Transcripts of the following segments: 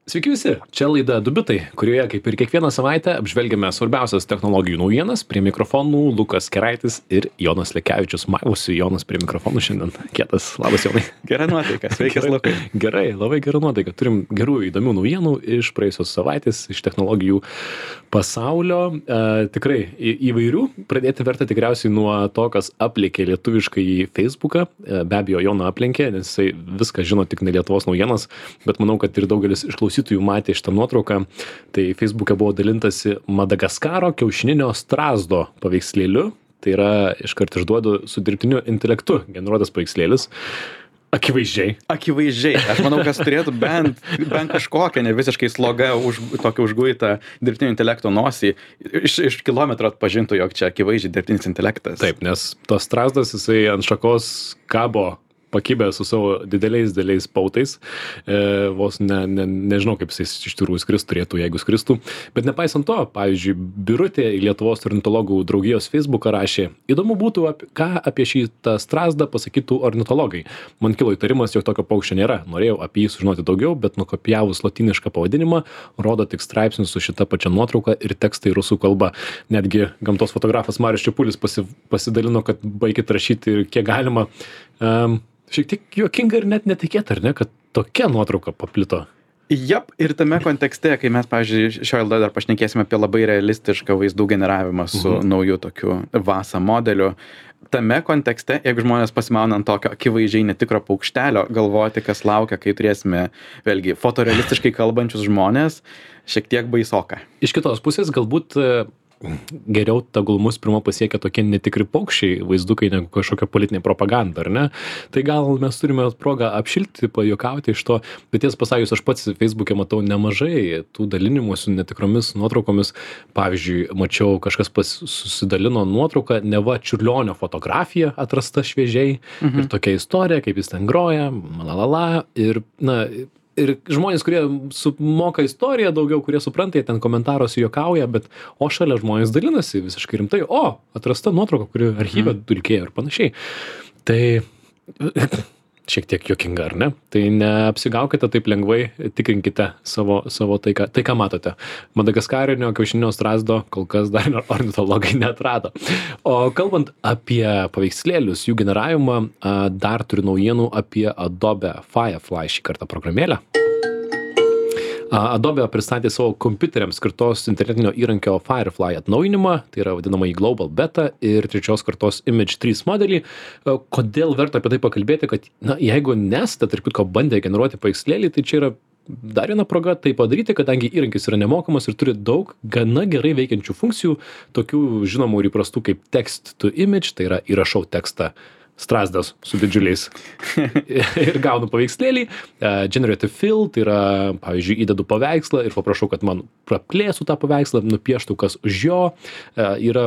Sveiki visi, čia laida Du bitai, kurioje kaip ir kiekvieną savaitę apžvelgiame svarbiausias technologijų naujienas. Prie mikrofonų Lukas Keraitis ir Jonas Lekevičius. Maivusi Jonas prie mikrofonų šiandien. Kietas, labas Jonai. Gera nuotaika, sveikas Lukai. Gerai, labai gera nuotaika. Turim gerų įdomių naujienų iš praėjusios savaitės, iš technologijų pasaulio. Tikrai įvairių. Pradėti verta tikriausiai nuo to, kas aplenkė lietuviškai į Facebooką. Be abejo, Joną aplenkė, nes jisai viską žino tik ne Lietuvos naujienas, bet manau, kad ir daugelis išklausytojų matė šitą nuotrauką. Tai Facebook'e buvo dalintasi Madagaskaro kiaušininio strazdo paveikslėliu. Tai yra, iškart išduodu, su dirbtiniu intelektu generuotas paveikslėlis. Akivaizdžiai. Aš manau, kas turėtų bent kažkokią ne visiškai slogą tokią užguitą dirbtinio intelekto nosį iš kilometro atpažintų, jog čia akivaizdžiai dirbtinis intelektas. Taip, nes tas strazdas, jisai ant šakos kabo pakibę su savo dideliais pautais. Vos nežinau, kaip jis iš tikrųjų skristų, turėtų, jeigu skristų. Bet nepaisant to, pavyzdžiui, Birutė į Lietuvos ornitologų draugijos Facebooką rašė: įdomu būtų, ką apie šitą strazdą pasakytų ornitologai. Man kilo įtarimas, jog tokio paukščio nėra. Norėjau apie jį sužinoti daugiau, bet nukopijavus lotynišką pavadinimą, rodo tik straipsnius su šita pačia nuotrauka ir tekstai rusų kalba. Netgi gamtos fotografas Marius Čepulis pasidalino, kad baikit rašyti ir kiek galima. Šiek tiek juokinga ir net netikėta, ar ne, kad tokia nuotrauka paplito. Jap, ir tame kontekste, kai mes, pavyzdžiui, šioje laidoje dar pašnekėsime apie labai realistišką vaizdų generavimą su nauju tokiu VASA modeliu. Tame kontekste, jeigu žmonės pasimauna ant tokio akivaizdžiai netikro paukštelio, galvoti, kas laukia, kai turėsime, vėlgi, fotorealistiškai kalbančius žmonės, šiek tiek baisoka. Iš kitos pusės, galbūt geriau tegul mus pirmo pasiekia tokie netikri paukščiai vaizdukai negu kažkokia politinė propaganda, ar ne? Tai gal mes turime progą apšilti, pajuokauti iš to, bet tiesą pasakius, aš pats Facebook'e matau nemažai tų dalinimų su netikromis nuotraukomis. Pavyzdžiui, mačiau, kažkas susidalino nuotrauką, neva Čiurlionio fotografija atrasta šviežiai ir tokia istorija, kaip jis ten groja, ir žmonės, kurie moka istoriją daugiau, kurie supranta, jie ten komentaruose juokauja, bet šalia žmonės dalinasi visiškai rimtai. Atrasta nuotrauka, kuri archyve dulkėjo ir panašiai. Tai šiek tiek juokinga, ar ne? Tai neapsigaukite taip lengvai, tikrinkite savo tai, ką matote. Madagaskarinio kiaušininio strazdo kol kas dar ornitologai neatrado. O kalbant apie paveikslėlius, jų generavimą, dar turiu naujienų apie Adobe Firefly šį kartą programėlę. Adobe pristatė savo kompiuteriams skirtos internetinio įrankio Firefly atnaujinimą, tai yra vadinamąjį Global Beta ir trečios kartos Image 3 modelį. Kodėl verta apie tai pakalbėti, kad jeigu nesate, tarp kitko, bandę generuoti paveikslėlį, tai čia yra dar viena proga tai padaryti, kadangi įrankis yra nemokamas ir turi daug gana gerai veikiančių funkcijų, tokių žinomų ir įprastų kaip Text to Image, tai yra įrašau tekstą strazdas su didžiuliais ir gaunu paveikslėlį. Generative Fill, tai yra, pavyzdžiui, įdedu paveikslą ir paprašau, kad man praplėsų tą paveikslą, nupieštų kas už jo. Yra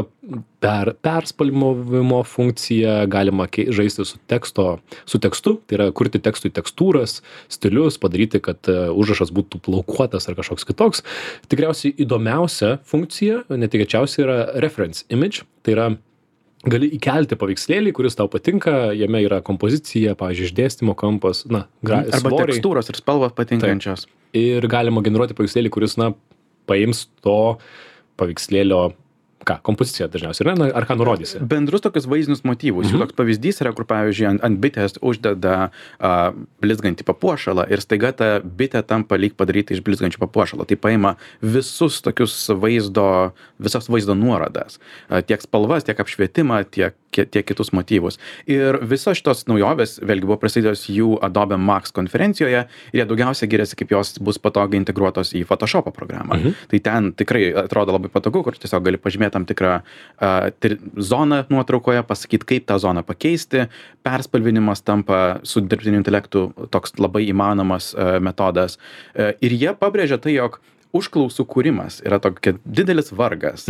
perspalvimo funkcija, galima žaisti su tekstu, tai yra kurti tekstui tekstūras, stilius, padaryti, kad užrašas būtų plaukuotas ar kažkoks kitoks. Tikriausiai įdomiausia funkcija, netikėčiausia, yra Reference Image, tai yra gali įkelti paveikslėlį, kuris tau patinka, jame yra kompozicija, pavyzdžiui, išdėstymo kampas, arba svoriai. Tekstūros ir spalvos patinkančios. Taip. Ir galima generuoti paveikslėlį, kuris, paims to paveikslėlio kompoziciją dažniausiai, ar ką nurodysi? Bendrus tokius vaizdinius motyvus. Jų toks pavyzdys yra, kur, pavyzdžiui, ant bitės uždeda blizgantį papuošalą ir staiga ta bitė tampa lyg padaryti iš blizgančių papuošalo. Tai paima visas vaizdo nuorodas. Tiek spalvas, tiek apšvietimą, tiek kitus motyvus. Ir visos šitos naujovės, vėlgi, buvo pristatytos jų Adobe Max konferencijoje ir jie daugiausia giriasi, kaip jos bus patogiai integruotos į Photoshop programą. Tai ten tikrai atrodo labai patogu, kur tiesiog gali pažymėti tam tikrą zoną nuotraukoje, pasakyti, kaip tą zoną pakeisti. Perspalvinimas tampa su dirbtiniu intelektu toks labai įmanomas metodas. Ir jie pabrėžia tai, jog užklausų kūrimas yra tokia didelis vargas,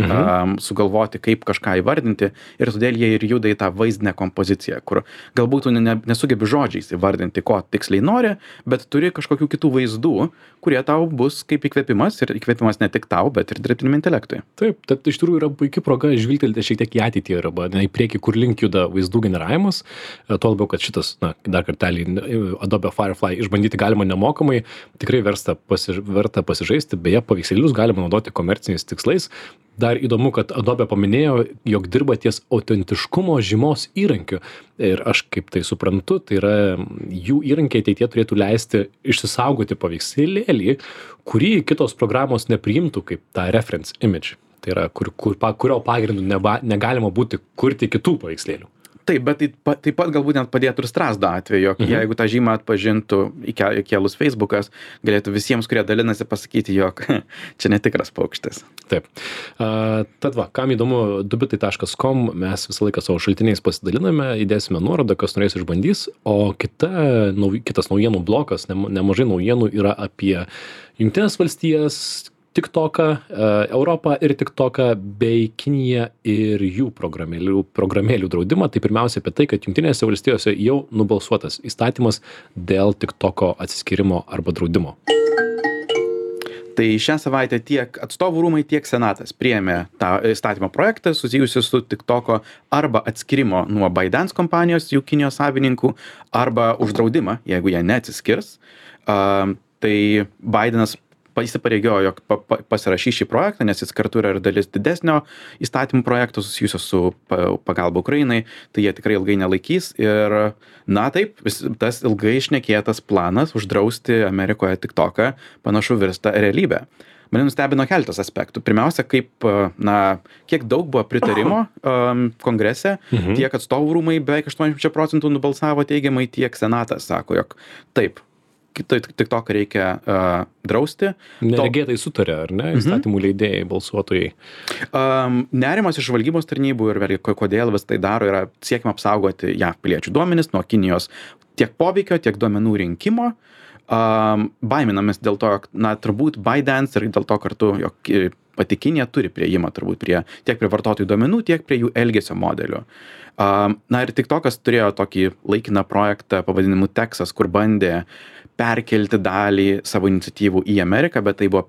sugalvoti, kaip kažką įvardinti, ir todėl jie ir juda į tą vaizdinę kompoziciją, kur galbūt tu nesugebi žodžiais įvardinti, ko tiksliai nori, bet turi kažkokių kitų vaizdų, kurie tau bus kaip įkvėpimas, ir įkvėpimas ne tik tau, bet ir dirbtiniam intelektui. Taip, tai iš tikrųjų yra puikia proga žvilgtelti šiek tiek į ateitį arba į priekį, kur link juda vaizdų generavimas. Tuo labiau, kad šitas, dar kartelį, Adobe Firefly išbandyti galima nemokamai, tikrai verta pasižaisti, beje, paveikslėlius galima naudoti komerciniais tikslais. Dar įdomu, kad Adobe paminėjo, jog dirba ties autentiškumo žymos įrankiu. Ir aš kaip tai suprantu, tai yra jų įrankiai ateityje turėtų leisti išsisaugoti paveikslėlį, kurį kitos programos nepriimtų kaip tą reference image. Tai yra, kurio pagrindų negalima būti kurti kitų paveikslėlių. Taip, bet taip pat galbūt net padėtų ir Strazdo atveju, jog jeigu tą žymą atpažintų įkėlus Facebookas, galėtų visiems, kurie dalinasi, pasakyti, jog čia netikras paukštis. Taip. Tad va, kam įdomu, dubitai.com, mes visą laiką savo šaltiniais pasidaliname, įdėsime nuorodą, kas norės išbandys, o kitas naujienų blokas, nemažai naujienų yra apie Jungtines valstijas, TikToką, Europą ir TikToką bei Kiniją ir jų programėlių draudimą. Tai pirmiausia apie tai, kad Jungtinėse valstijose jau nubalsuotas įstatymas dėl TikToko atsiskyrimo arba draudimo. Tai šią savaitę tiek atstovų rūmai, tiek Senatas priėmė tą įstatymo projektą susijusiu su TikToko arba atskirimo nuo ByteDance kompanijos, jų Kinijos savininkų, arba uždraudimą, jeigu jie neatsiskirs. Tai Bidenas įsipareigojo, jog pasirašys šį projektą, nes jis kartu yra ir dalis didesnio įstatymų projekto susijusio su pagalba Ukrainai, tai jie tikrai ilgai nelaikys. Ir, na taip, tas ilgai šnekėtas planas uždrausti Amerikoje TikToką panašu virsta realybė. Mane nustebino keletas aspektų. Pirmiausia, kiek daug buvo pritarimo kongrese, tiek atstovų rūmai beveik 80% nubalsavo teigiamai, tiek Senatas sako, jog taip, TikToką reikia drausti. Neregėtai sutarė, ar ne? Įstatymų leidėjai, balsuotojai. Nerimas iš žvalgybos tarnybų ir vėlgi, kodėl vis tai daro, yra siekima apsaugoti JAV piliečių duomenis nuo Kinijos tiek poveikio, tiek duomenų rinkimo. Baiminamės dėl to, turbūt ByteDance ir dėl to kartu, jog pati Kinija turi priėjimą turbūt tiek prie vartotojų duomenų, tiek prie jų elgesio modelių. Ir TikTokas turėjo tokį laikiną projektą pavadinimu Texas, kur bandė perkelti dalį savo iniciatyvų į Ameriką, bet tai buvo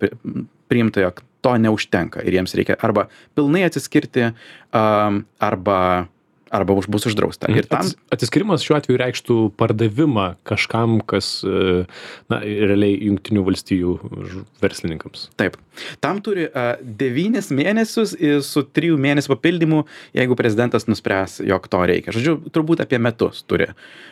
priimta, jog to neužtenka ir jiems reikia arba pilnai atsiskirti, arba bus uždrausta. Ir atsiskirimas šiuo atveju reikštų pardavimą kažkam, kas realiai Jungtinių valstijų verslininkams. Taip. Tam turi 9 mėnesius su 3 mėnesių papildymu, jeigu prezidentas nuspręs, jog to reikia. Žodžiu, turbūt apie metus turi.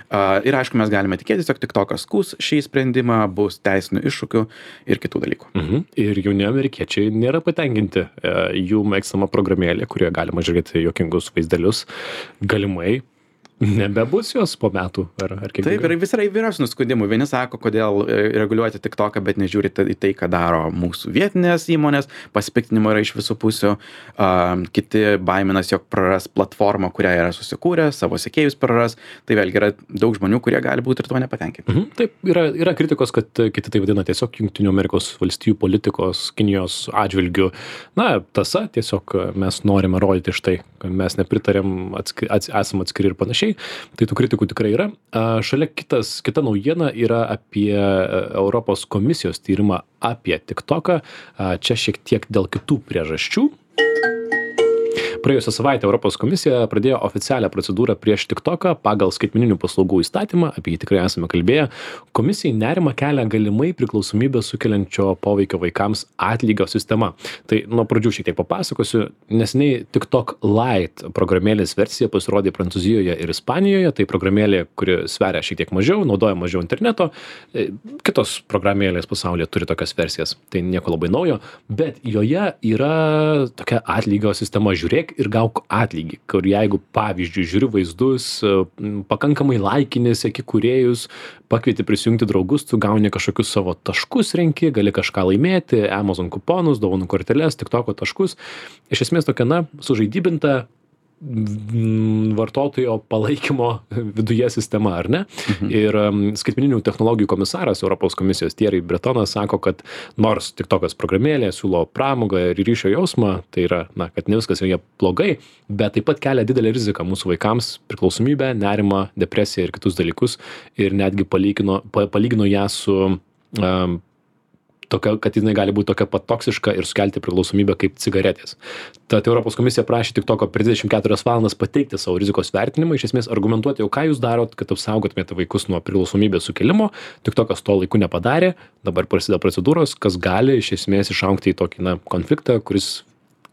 Ir aišku, mes galime tikėtis, jog TikTokas skųs šį sprendimą, bus teisinių iššūkių ir kitų dalykų. Ir jauni amerikiečiai nėra patenkinti jų mėgstama programėlė, kurioje galima žiūrėti juokingus vaizdelius. Galimai nebebus jos po metų, ar kaip? Taip, ir vis yra įvairiausių nuskundimų. Vieni sako, kodėl reguliuoti TikToką, bet nežiūrite į tai, ką daro mūsų vietinės įmonės, pasipiktinimo yra iš visų pusių. Kiti baiminas, jog praras platformą, kurią yra susikūrę, savo sekėjus praras. Tai vėlgi yra daug žmonių, kurie gali būti ir tuo nepatenkinti. Taip, yra kritikos, kad kiti tai vadina tiesiog Jungtinių Amerikos valstijų politikos Kinijos atžvilgių. Tasa, tiesiog mes norime rodyti štai, kad mes nepritarėm, esam atskiri ir panašiai. Tai tų kritikų tikrai yra. Šalia kita naujiena yra apie Europos komisijos tyrimą apie TikToką. Čia šiek tiek dėl kitų priežasčių. Praėjusią savaitę Europos komisija pradėjo oficialią procedūrą prieš TikToką pagal skaitmeninių paslaugų įstatymą, apie jį tikrai esame kalbėję. Komisijai nerimą kelia galimai priklausomybę sukeliančio poveikio vaikams atlygio sistema. Tai nuo pradžių šiek tiek papasakosiu. Neseniai TikTok Lite programėlės versija pasirodė Prancūzijoje ir Ispanijoje. Tai programėlė, kuri sveria šiek tiek mažiau, naudoja mažiau interneto. Kitos programėlės pasaulyje turi tokias versijas. Tai nieko labai naujo, bet joje yra tokia atlygio sistema. Žiūrėk ir gauk atlygį, kur jeigu, pavyzdžiui, žiūri vaizdus, pakankamai laikini, seki kūrėjus, pakvieti prisijungti draugus, tu gauni kažkokius savo taškus renki, gali kažką laimėti, Amazon kuponus, dovanų korteles, TikToko taškus. Iš esmės tokia, sužaidybinta vartotojo palaikymo viduje sistema, ar ne? Ir skaitmeninių technologijų komisaras Europos komisijos Thierry Bretonas sako, kad nors TikTokas programėlė siūlo pramogą ir ryšio jausmą, tai yra, kad ne viskas joje blogai, bet taip pat kelia didelę riziką mūsų vaikams, priklausomybę, nerimą, depresiją ir kitus dalykus ir netgi palygino ją su tokia, kad jinai gali būti tokia pat toksiška ir sukelti priklausomybę kaip cigaretės. Tad Europos komisija prašė TikToko per 24 valandas pateikti savo rizikos vertinimą, iš esmės argumentuoti, ką jūs darot, kad apsaugotumėte vaikus nuo priklausomybės sukelimo. TikTokas to laiku nepadarė, dabar prasideda procedūros, kas gali iš esmės išaugti į tokį konfliktą,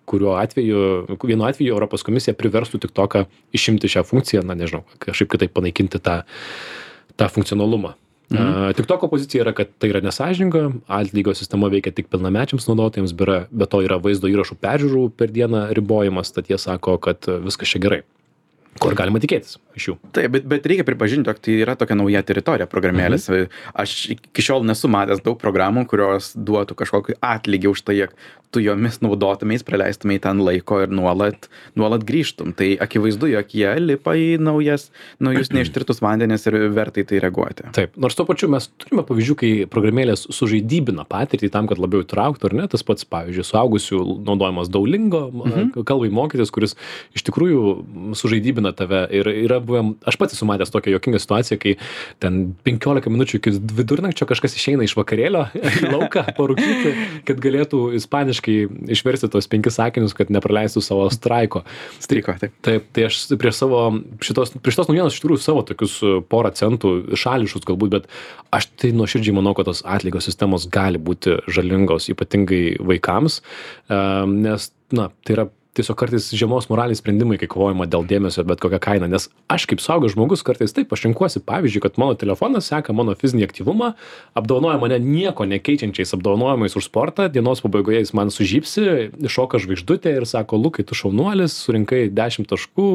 vienu atveju Europos komisija priverstų TikToką išimti šią funkciją, nežinau, kažkaip kitaip panaikinti tą funkcionalumą. TikToko pozicija yra, kad tai yra nesąžininga, atlygio sistema veikia tik pilnamečiams naudotojams, be to yra vaizdo įrašų peržiūrų per dieną ribojimas, tad jie sako, kad viskas čia gerai. Ko ir galima tikėtis iš jų. Taip, bet reikia pripažinti, jog tai yra tokia nauja teritorija programėlės. Aš iki šiol nesu matęs daug programų, kurios duotų kažkokį atlygį už tai, jog tu jomis naudotumės, praleistumės ten laiko ir nuolat grįžtum. Tai akivaizdu, jog jie lipa į naujus neištirtus vandenis ir vertai tai reaguoti. Taip, nors tuo pačiu mes turime pavyzdžių, kai programėlės sužaidybina patirtį tam, kad labiau įtrauktų, ar ne, tas pats, pavyzdžiui, suaugusių naudojimas Duolingo kalbai mokytis, kuris iš tikrųjų sužaidybina tave ir yra buvę, aš pats esu matęs tokią juokingą situaciją, kai ten 15 minučių iki vidurnakčio kažkas išeina iš vakarėlio į lauką parūkyti, kad galėtų ispaniškai išversti tos 5 sakinius, kad nepraleistų savo streiko, taip. Taip, tai aš prieš šitos naujienos iš tikrųjų savo tokius porą centų šališus galbūt, bet aš tai nuoširdžiai manau, kad tos atlygio sistemos gali būti žalingos, ypatingai vaikams, nes, tai yra tiesiog kartais žemos moralės sprendimai, kai kovojama dėl dėmesio bet kokią kainą, nes aš kaip suaugęs žmogus kartais taip, aš renkuosi, pavyzdžiui, kad mano telefonas seka mano fizinį aktyvumą, apdovanoja mane nieko nekeičiančiais apdovanojimais už sportą, dienos pabaigoje jis man sužypsi, iššoka žvaigždutė ir sako, Lukai, tu šaunuolis, surinkai 10 taškų,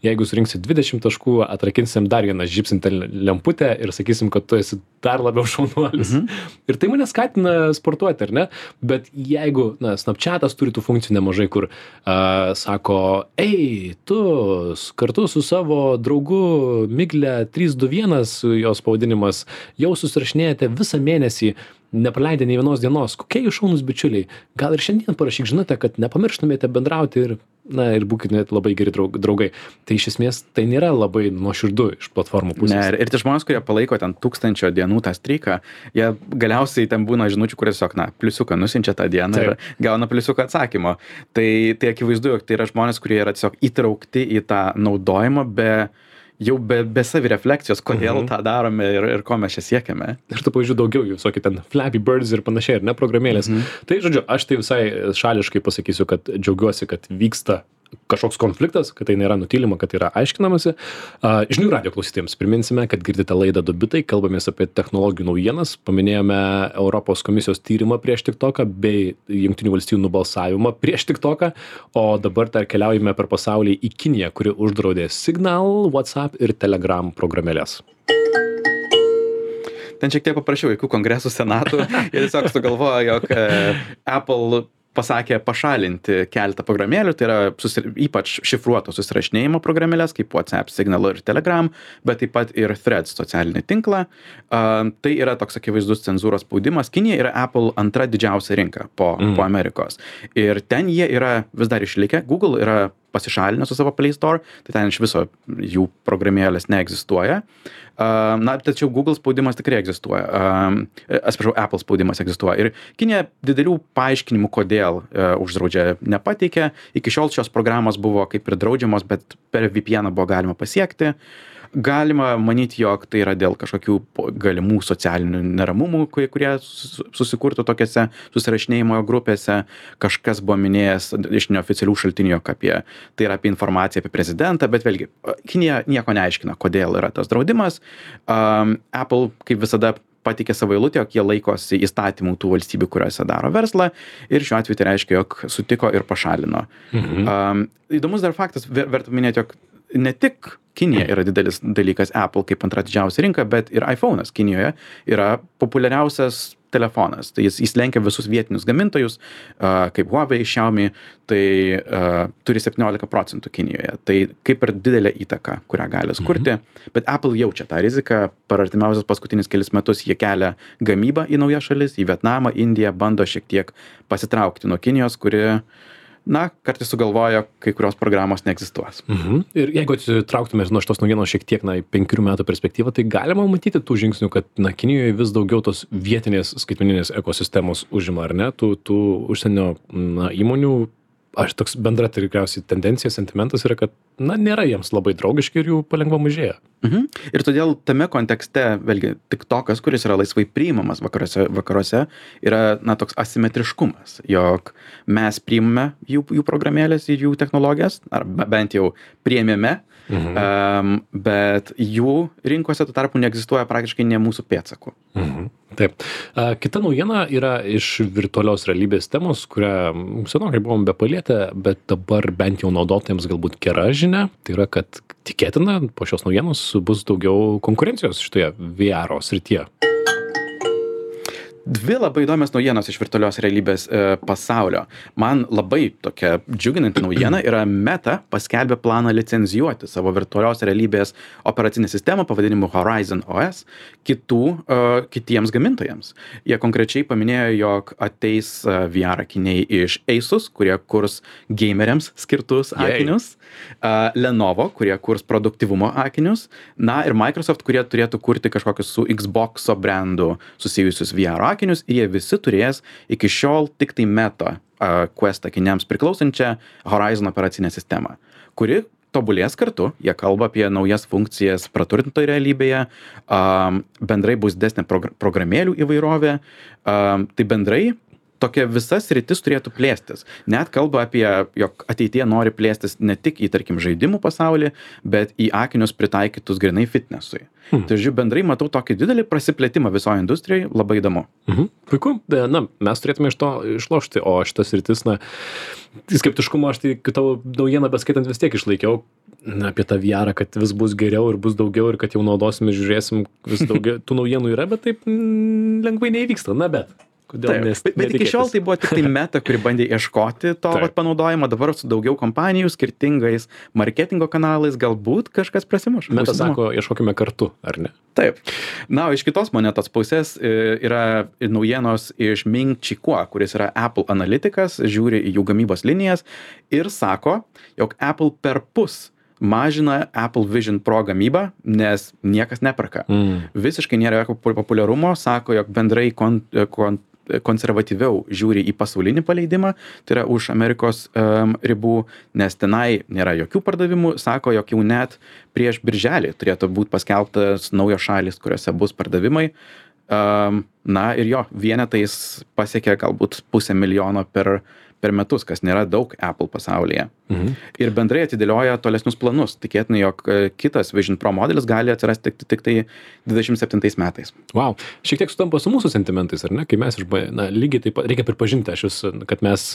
jeigu surinksi 20 taškų, atrakinsim dar vieną žypsintę lemputę ir sakysim, kad tu esi dar labiau šaunuolis. Ir tai mane skatina sportuoti, ar ne? Bet jeigu, Snapchatas turi tų funkcijų nemažai, kur sako, tu kartu su savo draugu Migle 321, jos pavadinimas, jau susirašinėjate visą mėnesį, nepraleidę nei vienos dienos. Kokie jūs šaunūs bičiuliai? Gal ir šiandien parašyk žinutę, kad nepamirštumėte bendrauti ir būkite labai geri draugai. Tai iš esmės tai nėra labai nuoširdu iš platformų pusės. Ne, ir tie žmonės, kurie palaiko ten 1000 dienų tą streiką, jie galiausiai ten būna žinučių, kurie tiesiog, pliusiuką nusinčia tą dieną ir gauna pliusiuką atsakymo. Tai akivaizdu, jog tai yra žmonės, kurie yra tiesiog įtraukti į tą naudojimą be savirefleksijos, kodėl tą darome ir ko mes čia siekiame. Ir tų pavyzdžių daugiau, visokie ten Flappy Birds ir panašiai, ir ne programėlės. Tai, žodžiu, aš tai visai šališkai pasakysiu, kad džiaugiuosi, kad vyksta kažkoks konfliktas, kad tai nėra nutylima, kad yra aiškinamasi. Žinių radijo klausytėjams priminsime, kad girdite laidą Du bitai, kalbamės apie technologijų naujienas, paminėjome Europos komisijos tyrimą prieš TikToką bei Jungtinių valstijų nubalsavimą prieš TikToką, o dabar dar keliaujame per pasaulį į Kiniją, kuri uždraudė Signal, WhatsApp ir Telegram programėlės. Ten šiek tiek paprašiau jokių kongresų senatų ir tiesiog sugalvojo, jog Apple pasakė pašalinti keletą programėlių, tai yra ypač šifruoto susirašinėjimo programėlės, kaip WhatsApp, Signal ir Telegram, bet taip pat ir Threads socialinį tinklą. Tai yra toks akivaizdus cenzūros spaudimas. Kinija yra Apple antra didžiausia rinka po Amerikos. Ir ten jie yra vis dar išlikę. Google yra pasišalinę su savo Play Store, tai ten iš viso jų programėlės neegzistuoja. Tačiau Google spaudimas tikrai egzistuoja. Apple spaudimas egzistuoja. Ir Kinija didelių paaiškinimų, kodėl uždraudžia, nepateikė. Iki šiol šios programos buvo kaip ir draudžiamos, bet per VPN buvo galima pasiekti. Galima manyti, jog tai yra dėl kažkokių galimų socialinių neramumų, kurie susikurtų tokiose susirašinėjimo grupėse. Kažkas buvo minėjęs iš neoficialių šaltinių, tai yra apie informaciją apie prezidentą, bet vėlgi, Kinija nieko neaiškina, kodėl yra tas draudimas. Apple, kaip visada, pateikė savo eilutę, jog jie laikosi įstatymų tų valstybių, kuriuose daro verslą, ir šiuo atveju tai reiškia, jog sutiko ir pašalino. Įdomus dar faktas, verta minėti, jog ne tik Kinija yra didelis dalykas Apple kaip antra didžiausia rinka, bet ir iPhone'as Kinijoje yra populiariausias telefonas. Tai jis lenkia visus vietinius gamintojus, kaip Huawei, Xiaomi, tai turi 17% Kinijoje. Tai kaip ir didelė įtaka, kurią gali skurti. Bet Apple jaučia tą riziką. Per artimiausius paskutinius kelis metus jie kelia gamybą į naujas šalis, į Vietnamą, Indiją, bando šiek tiek pasitraukti nuo Kinijos, kuri kartais sugalvojo, kai kurios programos neegzistuos. Ir jeigu atsitrauktume nuo šitos naujienos šiek tiek, 5 metų perspektyvą, tai galima matyti tų žingsnių, kad, Kinijoje vis daugiau tos vietinės skaitmeninės ekosistemos užima, ar ne? Tų užsienio, įmonių, toks bendra tikriausiai tendencija, sentimentas yra, kad, nėra jiems labai draugiški ir jų palengva mažėja. Ir todėl tame kontekste, vėlgi, TikTokas, kuris yra laisvai priimamas vakaruose, yra, toks asimetriškumas, jog mes priimame jų programėlės ir jų technologijas, ar bent jau priėmėme, bet jų rinkose tuo tarpu neegzistuoja praktiškai ne mūsų pėdsakų. Taip. Kita naujiena yra iš virtualios realybės temos, kurią senokai buvom bepalietę, bet dabar bent jau naudotojams galbūt gera žinia. Tai yra, kad tikėtina po šios naujienos bus daugiau konkurencijos šitoje VR srityje. Dvi labai įdomios naujienos iš virtualios realybės pasaulio. Man labai tokia džiuginanti naujiena yra Meta paskelbė planą licenzijuoti savo virtualios realybės operacinę sistemą pavadinimu Horizon OS kitiems gamintojams. Jie konkrečiai paminėjo, jog ateis VR akiniai iš Asus, kurie kurs gameriams skirtus akinius, Lenovo, kurie kurs produktyvumo akinius, ir Microsoft, kurie turėtų kurti kažkokius su Xbox'o brandu susijusius VR akinius, ir jie visi turės iki šiol tik tai Meta Quest akiniams priklausančią Horizon operacinę sistemą, kuri tobulės kartu. Jie kalba apie naujas funkcijas praturtintoje realybėje, bendrai bus didesnė programėlių įvairovė, tai bendrai tokia visa sritis turėtų plėstis. Net kalba apie, jog ateityje nori plėstis ne tik į, tarkim, žaidimų pasaulį, bet į akinius pritaikytus grynai fitnessui. Tai žiūrėjau, bendrai matau tokį didelį prasiplėtimą visoje industrijoje, labai įdomu. Puiku, mes turėtume iš to išlošti, o šitas sritis, skeptiškumo aš tai tavo naujieną beskaitant vis tiek išlaikiau apie tą VR, kad vis bus geriau ir bus daugiau ir kad jau naudosim ir žiūrėsim vis daugiau. Tų naujienų yra, bet taip lengvai neįvyksta, bet. Bet iki šiol tai buvo tik tai Meta, kuri bandė ieškoti to panaudojimo, dabar su daugiau kompanijų, skirtingais marketingo kanalais, galbūt kažkas prasimuš. Meta sako, ieškokime kartu, ar ne? Taip. Iš kitos monetos pusės yra naujienos iš Ming Chi Kuo, kuris yra Apple analitikas, žiūri į jų gamybos linijas ir sako, jog Apple perpus mažina Apple Vision Pro gamybą, nes niekas neperka. Visiškai nėra jokio populiarumo, sako, jog bendrai konservatyviau žiūri į pasaulinį paleidimą, tai yra už Amerikos ribų, nes tenai nėra jokių pardavimų, sako, jog jau net prieš birželį turėtų būti paskelbtas naujos šalis, kuriuose bus pardavimai. Ir jo, vienetais pasiekia galbūt 500,000 per metus, kas nėra daug Apple pasaulyje. Ir bendrai atidėlioja tolesnius planus. Tikėtina, jog kitas Vision Pro modelis gali atsirasti tik tai 27 metais. Wow. Šiek tiek sutampa su mūsų sentimentais, ar ne? Kai mes lygiai taip pat, reikia pripažinti, kad mes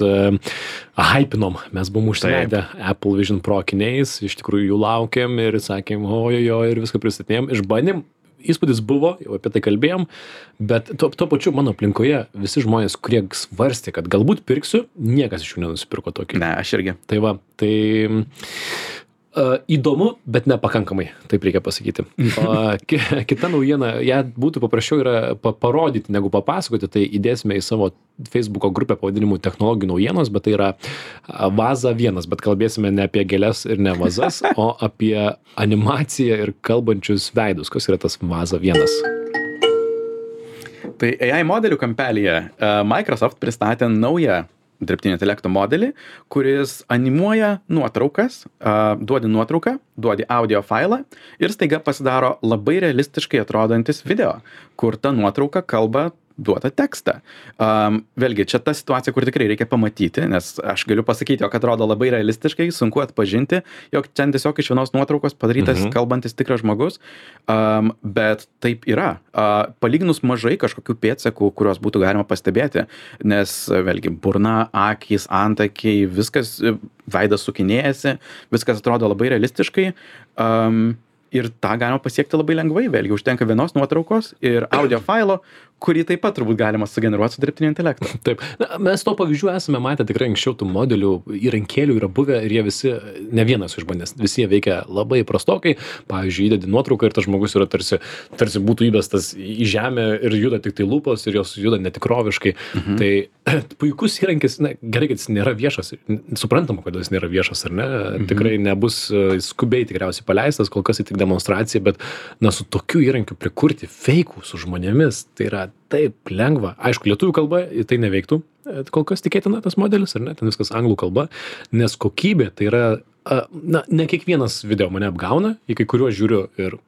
hypinom, mes buvom užsivedę Apple Vision Pro akiniais, iš tikrųjų jų laukėm ir sakėm, ojojo, ir viską pristatėm, išbandėm. Įspūdis buvo, jau apie tai kalbėjom, bet tuo pačiu mano aplinkoje visi žmonės, kurie svarstė, kad galbūt pirksiu, niekas iš jų nenusipirko tokį. Ne, aš irgi. Tai va, įdomu, bet nepakankamai, taip reikia pasakyti. Kita naujiena, ją būtų paprasčiau yra parodyti negu papasakoti, tai įdėsime į savo Facebooko grupę pavadinimu technologijų naujienos, bet tai yra Vaza 1, bet kalbėsime ne apie gėles ir ne vazas, o apie animaciją ir kalbančius veidus. Kas yra tas Vaza 1? Tai AI modelių kampelyje Microsoft pristatė naują dirbtinio intelekto modelį, kuris animuoja nuotraukas, duodi nuotrauką, duodi audio failą ir staiga pasidaro labai realistiškai atrodantis video, kur ta nuotrauka kalba duotą tekstą. Vėlgi, čia ta situacija, kur tikrai reikia pamatyti, nes aš galiu pasakyti, jog atrodo labai realistiškai, sunku atpažinti, jog čia tiesiog iš vienos nuotraukos padarytas kalbantis tikras žmogus, bet taip yra. Palyginus mažai kažkokių pėdsakų, kuriuos būtų galima pastebėti, nes vėlgi burna, akys, antakiai, viskas, veidas sukinėjasi, viskas atrodo labai realistiškai. Ir tą galima pasiekti labai lengvai, vėlgi užtenka vienos nuotraukos ir audio failo, kurį taip pat turbūt galima sugeneruoti su dirbtiniu intelektu. Taip. Na, mes to pavyzdžių esame matę tikrai anksčiau, tų modelių įrankėlių yra buvę ir jie visi, ne vienas išbandęs, visi jie veikia labai prastokai. Pavyzdžiui, įdedi nuotrauką ir tas žmogus yra tarsi būtų įbestas į žemę ir juda tik tai lūpos ir jos juda netikroviškai. Tai puikus įrankis, na, gerai, kad jis nėra viešas, suprantama, kodėl jis nėra viešas, ar ne? Tikrai nebus skubiai tikriausiai paleistas, kol kas tik demonstracija, bet na, su tokiu įrankiu prikurti feikų su žmonėmis, tai yra taip lengva. Aišku, lietuvių kalba tai neveiktų, kol kas tikėtina tas modelis, ar ne, ten viskas anglų kalba, nes kokybė tai yra, na, ne kiekvienas video mane apgauna, į kai kuriuos žiūriu ir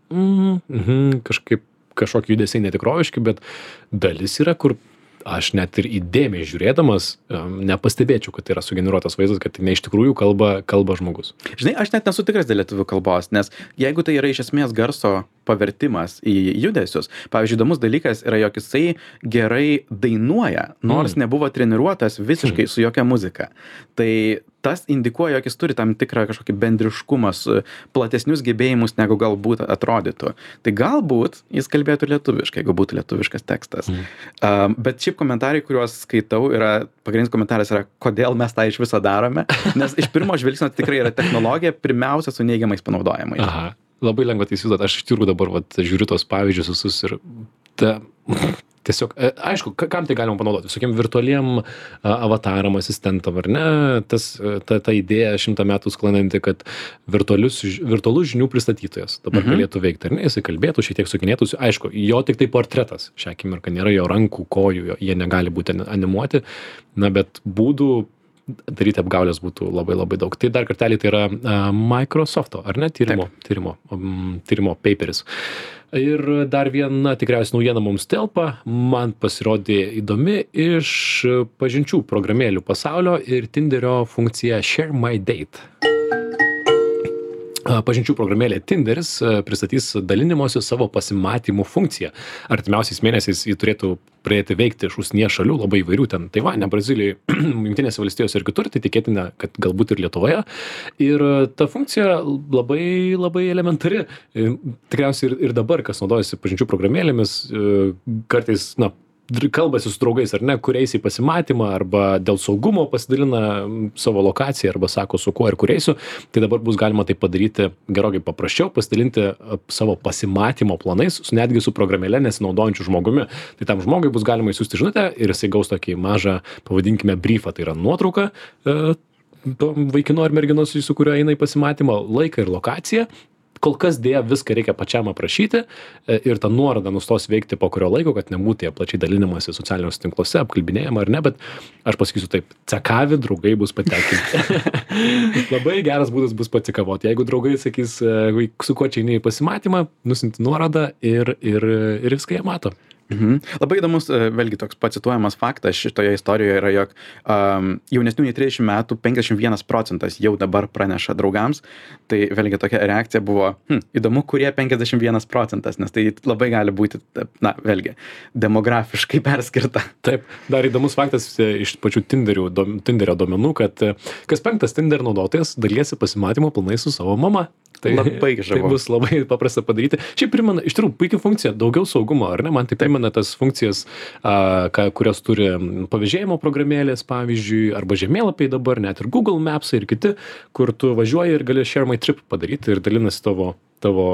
kažkokie judesiai netikroviški, bet dalis yra, kur aš net ir įdėmiai žiūrėdamas nepastebėčiau, kad tai yra sugeneruotas vaizdas, kad tai ne iš tikrųjų kalba žmogus. Žinai, aš net nesu tikras dėl lietuvių kalbos, nes jeigu tai yra iš esmės garso pavertimas į judesius, pavyzdžiui, įdomus dalykas yra, jog jisai gerai dainuoja, nors nebuvo treniruotas visiškai su jokia muzika. Tai tas indikuoja, jog jis turi tam tikrą kažkokį bendriškumą, platesnius gebėjimus, negu galbūt atrodytų. Tai galbūt jis kalbėtų lietuviškai, jeigu būtų lietuviškas tekstas. Bet šiaip komentarai, kuriuos skaitau, pagrindinis komentaras yra, kodėl mes tą iš viso darome, nes iš pirmo žvilgsnio tikrai yra technologija, pirmiausia su neigiamais panaudojimais. Aha, labai lengva tai įsivaizduoti. Aš iš tikrųjų dabar žiūriu tos pavyzdžius visus ir tiesiog, aišku, kam tai galima panaudoti? Visokiem virtualiem avataram, asistentam, ar ne? Ta idėja 100 metų sklandanti, kad virtualus žinių pristatytojas dabar galėtų veikti, ar ne? Jisai kalbėtų, šiek tiek sukinėtųsi. Aišku, jo tik tai portretas šią akimirką, nėra jo rankų, kojų, jie negali būti animuoti, na, bet būdų daryti apgaulės būtų labai labai daug. Tai dar kartelį tai yra Microsofto, ar ne? Tyrimo paperis. Ir dar viena tikriausiai naujiena mums telpa, man pasirodė įdomi iš pažinčių programėlių pasaulio ir Tinderio funkcija Share My Date. Pažinčių programėlė Tinderis pristatys dalinimosi savo pasimatymų funkciją. Artimiausiais mėnesiais jį turėtų pradėti veikti iš užsienyje šalių, labai įvairių, ten Taivane, Brazilijai, Jungtinėse valstijose ir kitur, tai tikėtina, kad galbūt ir Lietuvoje. Ir ta funkcija labai, labai elementari. Tikriausiai ir dabar, kas naudojasi pažinčių programėlėmis, kartais, na, kalbasi su draugais, ar ne, kur eisi į pasimatymą, arba dėl saugumo pasidalina savo lokaciją, arba sako, su kuo ir kur eisiu, tai dabar bus galima tai padaryti gerokai paprasčiau, pasidalinti savo pasimatymo planais, netgi su programėle nesinaudojančiu žmogumi. Tai tam žmogui bus galima įsiųsti žinutę ir jisai gaus tokį mažą, pavadinkime, briefą, tai yra nuotrauka to vaikino ar merginos, su kuriuo eina į pasimatymą, laiką ir lokaciją. Kol kas dėja viską reikia pačiam aprašyti ir ta nuoroda nustos veikti po kurio laiko, kad nebūtų jie plačiai dalinimasi socialiniuose tinkluose, apkalbinėjama ar ne, bet aš pasakysiu taip, cekavi draugai bus patenkinti. Labai geras būdas bus pacikavoti. Jeigu draugai sakys, su kuo čia eini į pasimatymą, nusinti nuorodą ir viską jie mato. Labai įdomus, vėlgi toks pacituojamas faktas šitoje istorijoje yra, jog jaunesnių nei 30 metų 51% jau dabar praneša draugams. Tai vėlgi tokia reakcija buvo, įdomu, kurie 51%, nes tai labai gali būti, na, vėlgi, demografiškai perskirta. Taip, dar įdomus faktas iš pačių Tinderio duomenų, kad kas 5 Tinder naudotojas dalyjasi pasimatymo planai su savo mama. Tai labai žavu. Tai bus labai paprasta padaryti. Šiaip primena, iš tikrųjų, puikia funkcija, daugiau saugumo, ar ne? Man tai primena tas funkcijas, kurios turi pavėžėjimo programėlės, pavyzdžiui, arba žemėlapiai dabar, net ir Google Maps ir kiti, kur tu važiuoji ir gali Share My Trip padaryti ir dalinasi tavo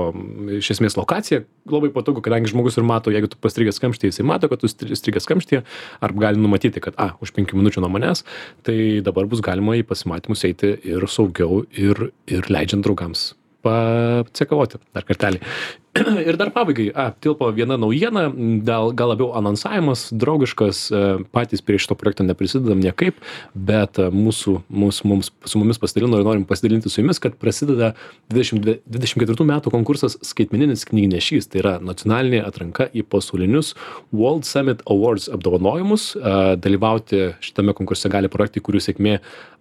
iš esmės lokacija. Labai patogu, kadangi žmogus ir mato, jeigu tu pastrigęs kamštyje, jisai mato, kad tu strigęs kamštyje, arba gali numatyti, kad už 5 minučių nuo manęs, tai dabar bus galima į pasimatymus eiti ir saugiau ir leidžiant draugams pacekavoti dar kartelį. Ir dar pabaigai, tilpo viena naujiena, gal labiau anonsavimas, draugiškas, patys prie šito projekto neprisidedam niekaip, bet su mumis pasidalino ir norim pasidalinti su jumis, kad prasideda 2024 metų konkursas Skaitmeninis knygnešys, tai yra nacionalinė atranka į pasaulinius World Summit Awards apdovanojimus. Dalyvauti šitame konkurse gali projektai, kurių sėkmė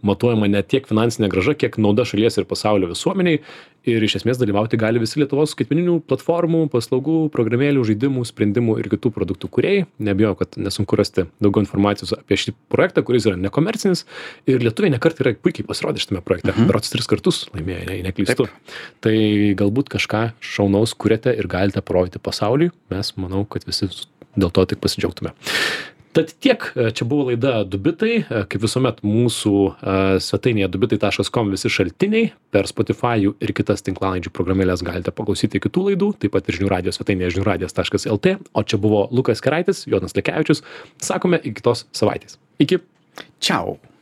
matuojama ne tiek finansinė grąža, kiek nauda šalies ir pasaulio visuomeniai. Ir iš esmės dalyvauti gali visi Lietuvos skaitmeninių platformų, paslaugų, programėlių, žaidimų, sprendimų ir kitų produktų kūrėjai. Nebijau, kad nesunku rasti daugiau informacijos apie šį projektą, kuris yra nekomercinis. Ir lietuviai nekart yra puikiai pasirodę šitame projekte. Berods 3 kartus laimėjo, jei neklystu. Tai galbūt kažką šaunaus kuriate ir galite parodyti pasauliui. Mes manau, kad visi dėl to tik pasidžiaugtume. Tad tiek, čia buvo laida Dubitai, kaip visuomet mūsų svetainėje dubitai.com visi šaltiniai, per Spotify ir kitas tinklalaidžių programėlės galite paklausyti kitų laidų, taip pat ir žinių radijo svetainėje žiniųradijas.lt, o čia buvo Lukas Keraitis, Jonas Lekevičius, sakome iki kitos savaitės. Iki. Čiau.